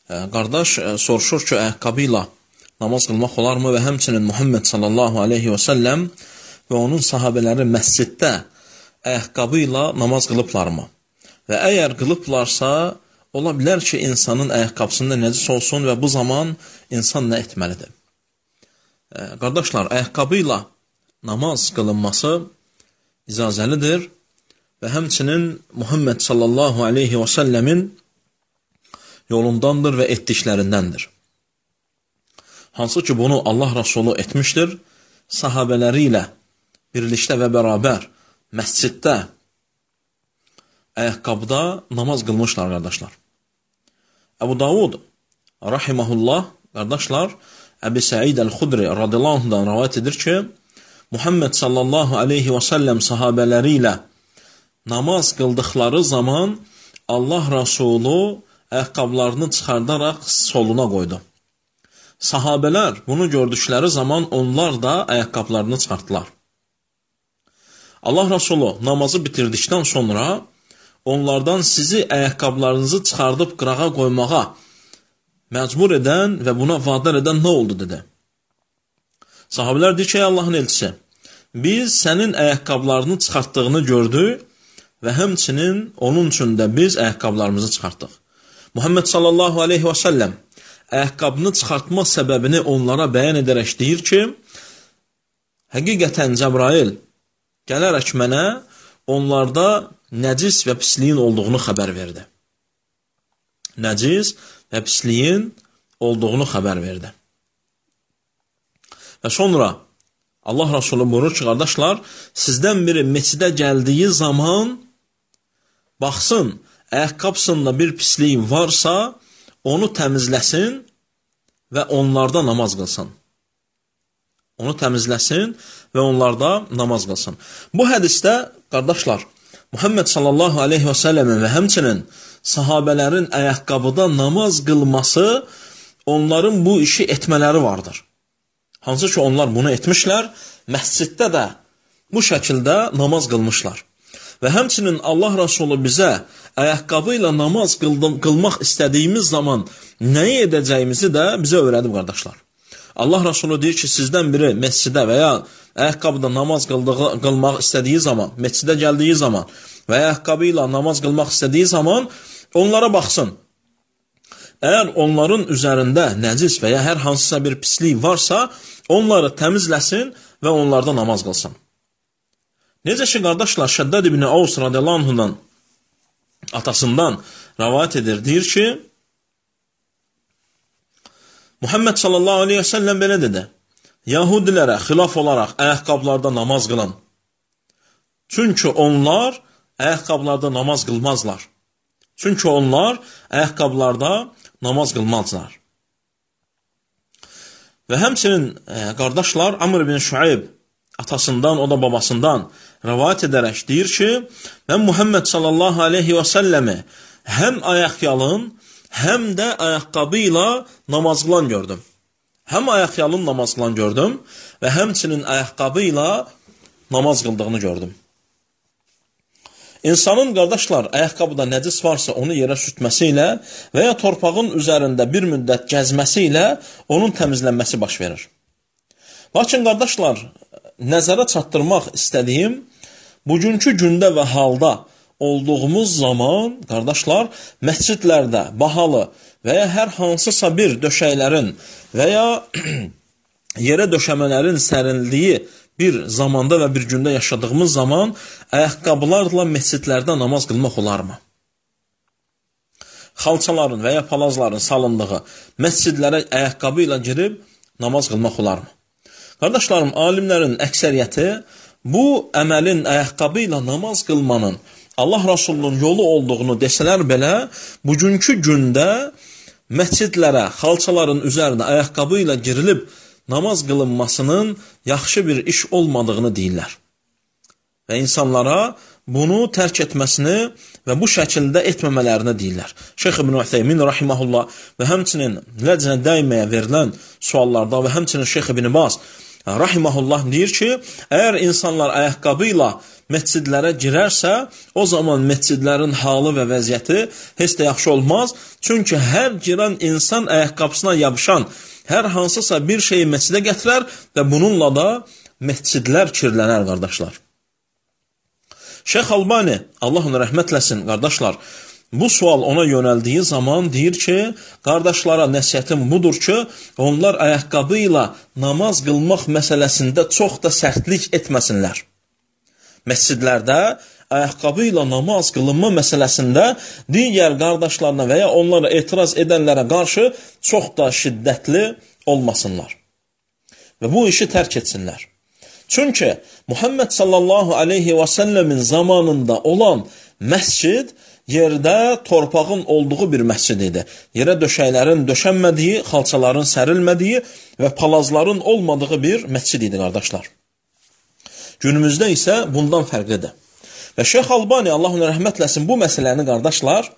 Qardaş soruşur ki, ayaqqabı ilə namaz qılmaq olarmı və həmçinin Muhammed sallallahu aleyhi və səlləm və onun sahabələri məsciddə ayaqqabı ilə namaz qılıblarmı? Və əgər qılıblarsa, ola bilər ki, insanın ayaqqabısında nəcis olsun və bu zaman insan nə etməlidir? Qardaşlar, ayaqqabı ilə namaz qılınması icazəlidir və həmçinin Muhammed sallallahu aleyhi və səlləmin yolundandır və etdiklərindəndir. Hansı ki, bunu Allah Rasulü etmişdir, sahabələri ilə birlikdə və bərabər məsciddə, ayaqqabıda namaz qılmışlar, qardaşlar. Əbu Davud, rahiməhullah, qardaşlar, Əbi Səid Əl-Xudri radiyallahu anhudan rəvayət edir ki, Muhammed sallallahu aleyhi və səlləm sahabələri ilə namaz qıldıqları zaman Allah Rasulü ayaqqabılarını çıxardaraq soluna qoydu. Sahabələr bunu gördükləri zaman onlar da ayaqqabılarını çıxartdılar. Allah Rasulü namazı bitirdikdən sonra onlardan sizi ayaqqabılarınızı çıxardıb qırağa qoymağa məcbur edən və buna vadar edən nə oldu, dedi. Sahabələr deyir ki, ey Allahın elçisi, biz sənin ayaqqabılarını çıxartdığını gördük və həmçinin onun üçün də biz ayaqqabılarımızı çıxartdıq. Muhammed sallallahu aleyhi və səlləm ayaqqabını çıxartma səbəbini onlara bəyan edərək deyir ki, həqiqətən Cəbrail gələrək mənə onlarda nəcis və pisliyin olduğunu xəbər verdi. Nəcis və pisliyin olduğunu xəbər verdi. Və sonra Allah Rasulü buyurur ki, qardaşlar, sizdən biri meçidə gəldiyi zaman baxsın, ayaqqabısında bir pislik varsa, onu təmizləsin və onlarda namaz qılsın. Onu təmizləsin və onlarda namaz qılsın. Bu hədisdə, qardaşlar, Muhammed sallallahu aleyhi və səlləmin və həmçinin sahabələrin ayaqqabıda namaz qılması, onların bu işi etmələri vardır. Hansı ki, onlar bunu etmişlər, məsciddə də bu şəkildə namaz qılmışlar. Və həmçinin Allah Rasulü bizə ayaqqabı ilə namaz qılmaq istədiyimiz zaman nəyi edəcəyimizi də bizə öyrədib, qardaşlar. Allah Rasulü deyir ki, sizdən biri məscidə və ya ayaqqabıda namaz qılmaq istədiyi zaman, məscidə gəldiyi zaman və ayaqqabı ilə namaz qılmaq istədiyi zaman onlara baxsın. Əgər onların üzərində nəcis və ya hər hansısa bir pislik varsa, onları təmizləsin və onlarda namaz qılsın. Necə ki, qardaşlar, Şəddad ibn Avs radiyallahu anhudan atasından rəvayət edir, deyir ki, Muhammed sallallahu aleyhi və səlləm belə dedi, Yahudilərə xilaf olaraq ayaqqabılarda namaz qılın. Çünki onlar ayaqqabılarda namaz qılmazlar. Çünki onlar ayaqqabılarda namaz qılmazlar. Və həmçinin qardaşlar, Amr ibn Şuayb atasından, o da babasından rəvayət edərək deyir ki, mən Muhammed sallallahu aleyhi və səlləmi həm ayaqyalın, həm də ayaqqabı ilə namaz qılan gördüm. Həm ayaqyalın namaz qılan gördüm və həmçinin ayaqqabı ilə namaz qıldığını gördüm. İnsanın, qardaşlar, ayaqqabıda nəcis varsa onu yerə sürtməsi ilə və ya torpağın üzərində bir müddət gəzməsi ilə onun təmizlənməsi baş verir. Lakin, qardaşlar, nəzərə çatdırmaq istədiyim, bugünkü gündə və halda olduğumuz zaman, qardaşlar, məscidlərdə bahalı və ya hər hansısa bir döşəklərin və ya yerə döşəmələrin sərildiyi bir zamanda və bir gündə yaşadığımız zaman ayaqqabılarla məscidlərdə namaz qılmaq olarmı? Xalçaların və ya palazların salındığı məscidlərə ayaqqabı ilə girib namaz qılmaq olarmı? Qardaşlarım, alimlərin əksəriyyəti bu əməlin ayaqqabı ilə namaz qılmanın Allah Rasulunun yolu olduğunu desələr belə, bugünkü gündə məscidlərə, xalçaların üzərinə ayaqqabı ilə girilib namaz qılınmasının yaxşı bir iş olmadığını deyirlər. Və insanlara bunu tərk etməsini və bu şəkildə etməmələrini deyirlər. Şeyx İbn Ütheymin rahiməhullah və həmçinin ləcnə dəyməyə verilən suallarda və həmçinin Şeyx İbn Baz rahimehullah deyir ki, əgər insanlar ayaqqabı ilə məscidlərə girərsə, o zaman məscidlərin halı və vəziyyəti heç də yaxşı olmaz. Çünki hər girən insan ayaqqabısına yapışan hər hansısa bir şeyi məscidə gətirər və bununla da məscidlər kirlənər, qardaşlar. Şeyx Albani, Allah ona rəhmət eləsin, qardaşlar, bu sual ona yönəldiyi zaman deyir ki, qardaşlara nəsihətim budur ki, onlar ayaqqabı ilə namaz qılmaq məsələsində çox da sərtlik etməsinlər. Məscidlərdə ayaqqabı ilə namaz qılınma məsələsində digər qardaşlarına və ya onlara etiraz edənlərə qarşı çox da şiddətli olmasınlar və bu işi tərk etsinlər. Çünki Muhammed sallallahu aleyhi və səlləmin zamanında olan məscid yerdə torpağın olduğu bir məscid idi. Yerə döşəklərin döşənmədiyi, xalçaların sərilmədiyi və palazların olmadığı bir məscid idi, qardaşlar. Günümüzdə isə bundan fərqlidir. Və Şeyx Albani, Allah ona rəhmət eləsin, bu məsələni, qardaşlar,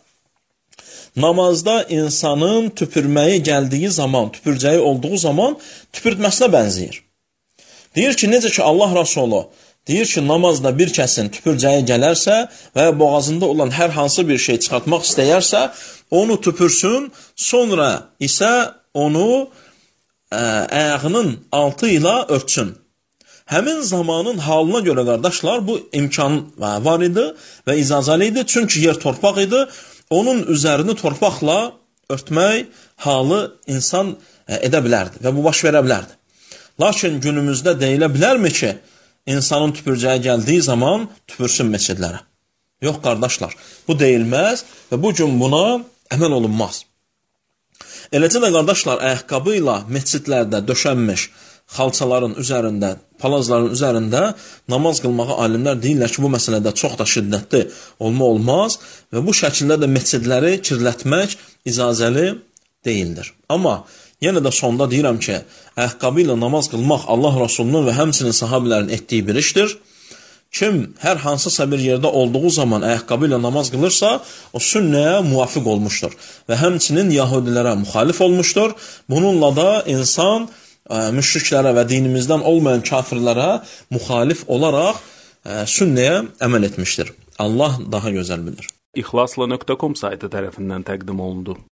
namazda insanın tüpürməyi gəldiyi zaman, tüpürcəyi olduğu zaman tüpürtməsinə bənzəyir. Deyir ki, necə ki Allah Rasulü deyir ki, namazda bir kəsin tüpürcəyi gələrsə və boğazında olan hər hansı bir şey çıxartmaq istəyərsə, onu tüpürsün, sonra isə onu ayağının altı ilə örtsün. Həmin zamanın halına görə, qardaşlar, bu imkan var idi və icazəli idi. Çünki yer torpaq idi, onun üzərini torpaqla örtmək halı insan edə bilərdi və bu baş verə bilərdi. Lakin günümüzdə deyilə bilərmi ki, insanın tüpürcəyə gəldiyi zaman tüpürsün məscidlərə? Yox, qardaşlar, bu deyilməz və bu gün buna əməl olunmaz. Eləcə də, qardaşlar, ayaqqabı ilə məscidlərdə döşənmiş xalçaların üzərində, palazların üzərində namaz qılmağı alimlər deyirlər ki, bu məsələdə çox da şiddətli olmaz və bu şəkildə də məscidləri kirlətmək icazəli deyildir. Amma yenə də sonda deyirəm ki, ayaqqabı ilə namaz qılmaq Allah Rasulunun və həmçinin sahabilərin etdiyi bir işdir. Kim hər hansısa bir yerdə olduğu zaman ayaqqabı ilə namaz qılırsa, o sünnəyə muvafiq olmuşdur və həmçinin yahudilərə müxalif olmuşdur. Bununla da insan müşriklərə və dinimizdən olmayan kafirlərə müxalif olaraq sünnəyə əməl etmişdir. Allah daha gözəl bilir. İxlasla.com saytı tərəfindən təqdim olundu.